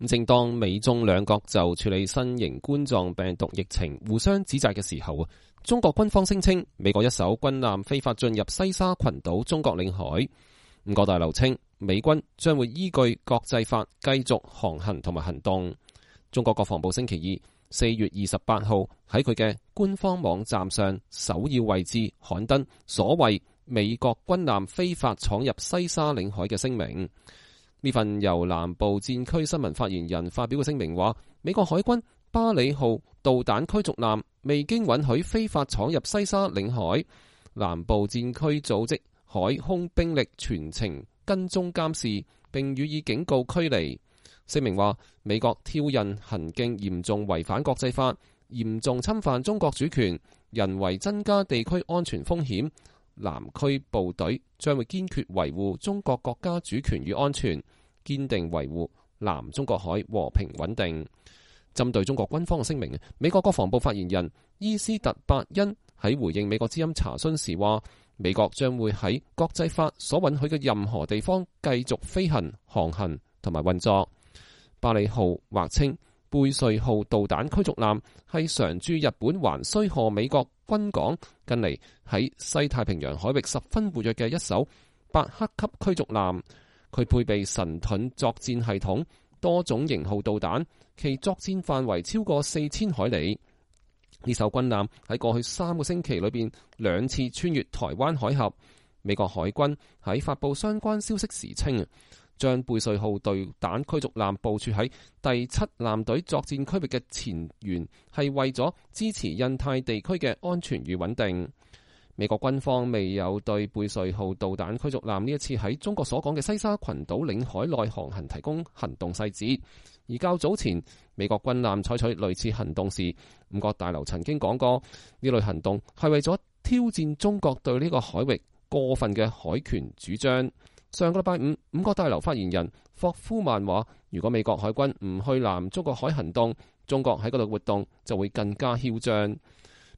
正當美中兩國就處理新型冠狀病毒疫情互相指責嘅時候，中國軍方聲稱美國一艘軍艦非法進入西沙群島中國領海。五角大樓稱美軍將會依據國際法繼續航行同埋行動。中國國防部星期二4月28號喺佢嘅官方網站上首要位置刊登所謂美國軍艦非法闖入西沙領海嘅聲明。呢份由南部戰區新聞發言人發表嘅聲明話，美國海軍巴里號導彈驅逐艦未經允許非法闖入西沙領海，南部戰區組織海空兵力全程跟蹤監視，並予以警告驅離。聲明話，美國挑釁行徑嚴重違反國際法，嚴重侵犯中國主權，人為增加地區安全風險。南區部隊將會堅決維護中國國家主權與安全，堅定維護南中國海和平穩定。針對中國軍方嘅聲明，美國國防部發言人伊斯特伯恩喺回應美國之音查詢時話，美國將會喺國際法所允許嘅任何地方繼續飛行、航行同埋運作。巴里號或稱貝瑞號導彈驅逐艦係常駐日本橫須賀美國軍港近嚟喺西太平洋海域十分活躍嘅一艘伯克級驅逐艦，佢配備神盾作戰系統、多種型號導彈，其作戰範圍超過4000海里。呢艘軍艦喺過去3個星期裏邊2次穿越台灣海峽。美國海軍喺發布相關消息時稱，將貝瑞號導彈驅逐艦部署喺第7艦隊作戰區域嘅前緣，係為咗支持印太地區嘅安全與穩定。美國軍方未有對貝瑞號導彈驅逐艦呢一次喺中國所講嘅西沙群島領海內航行提供行動細節。而較早前美國軍艦採取類似行動時，五角大樓曾經講過，呢類行動係為咗挑戰中國對呢個海域過分嘅海權主張。上個禮拜五，五角大樓發言人霍夫曼話，如果美國海軍唔去南中國海行動，中國喺嗰度活動就會更加囂張。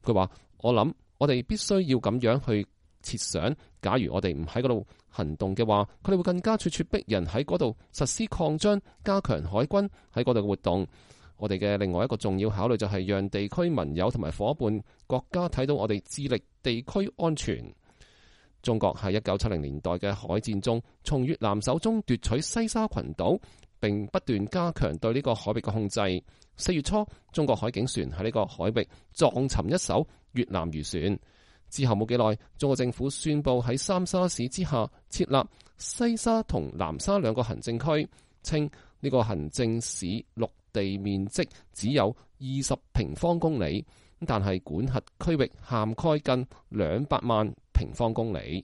佢話，我諗我哋必須要咁樣去設想，假如我哋唔喺嗰度行動嘅話，佢哋會更加咄咄逼人喺嗰度實施擴張，加強海軍喺嗰度嘅活動。我哋嘅另外一個重要考慮就係讓地區盟友同埋夥伴國家睇到我哋致力地區安全。中國喺1970年代嘅海戰中，從越南手中奪取西沙群島，並不斷加強對呢個海域嘅控制。4月初，中國海警船喺呢個海域撞沉一艘越南漁船。之後冇幾耐，中國政府宣布喺三沙市之下設立西沙同南沙2個行政區，稱呢個行政市陸地面積只有20平方公里，但係管轄區域涵蓋近200萬平方公里。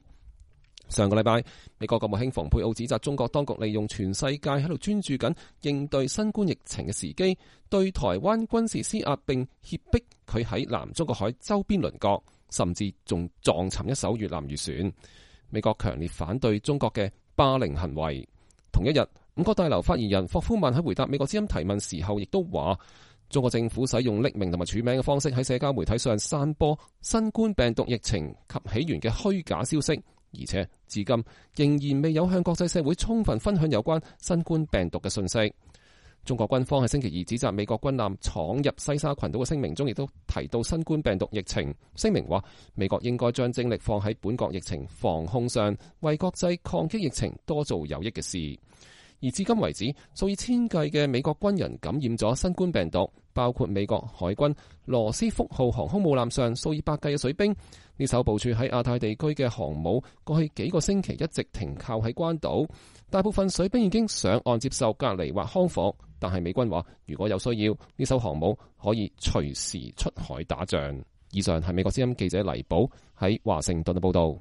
上個禮拜，美國國務卿蓬佩奧指責中國當局利用全世界喺度專注緊應對新冠疫情嘅時機，對台灣軍事施壓，並脅迫佢喺南中國海周邊鄰國，甚至仲撞沉一艘越南漁船。美國強烈反對中國嘅霸凌行為。同一日，五角大樓發言人霍夫曼喺回答美國之音提問時候，亦都話中國政府使用匿名同埋署名嘅方式喺社交媒體上散播新冠病毒疫情及起源嘅虛假消息，而且至今仍然未有向國際社會充分分享有關新冠病毒嘅信息。中國軍方喺星期二指責美國軍艦闖入西沙群島嘅聲明中，亦都提到新冠病毒疫情。聲明話，美國應該將精力放喺本國疫情防控上，為國際抗擊疫情多做有益嘅事。而至今為止，數以千計嘅美國軍人感染咗新冠病毒，包括美國海軍羅斯福號航空母艦上數以百計嘅水兵。呢艘部署喺亞太地區嘅航母過去幾個星期一直停靠喺關島，大部分水兵已經上岸接受隔離或康復，但係美軍話如果有需要，呢艘航母可以隨時出海打仗。以上係美國之音記者黎寶喺華盛頓嘅報道。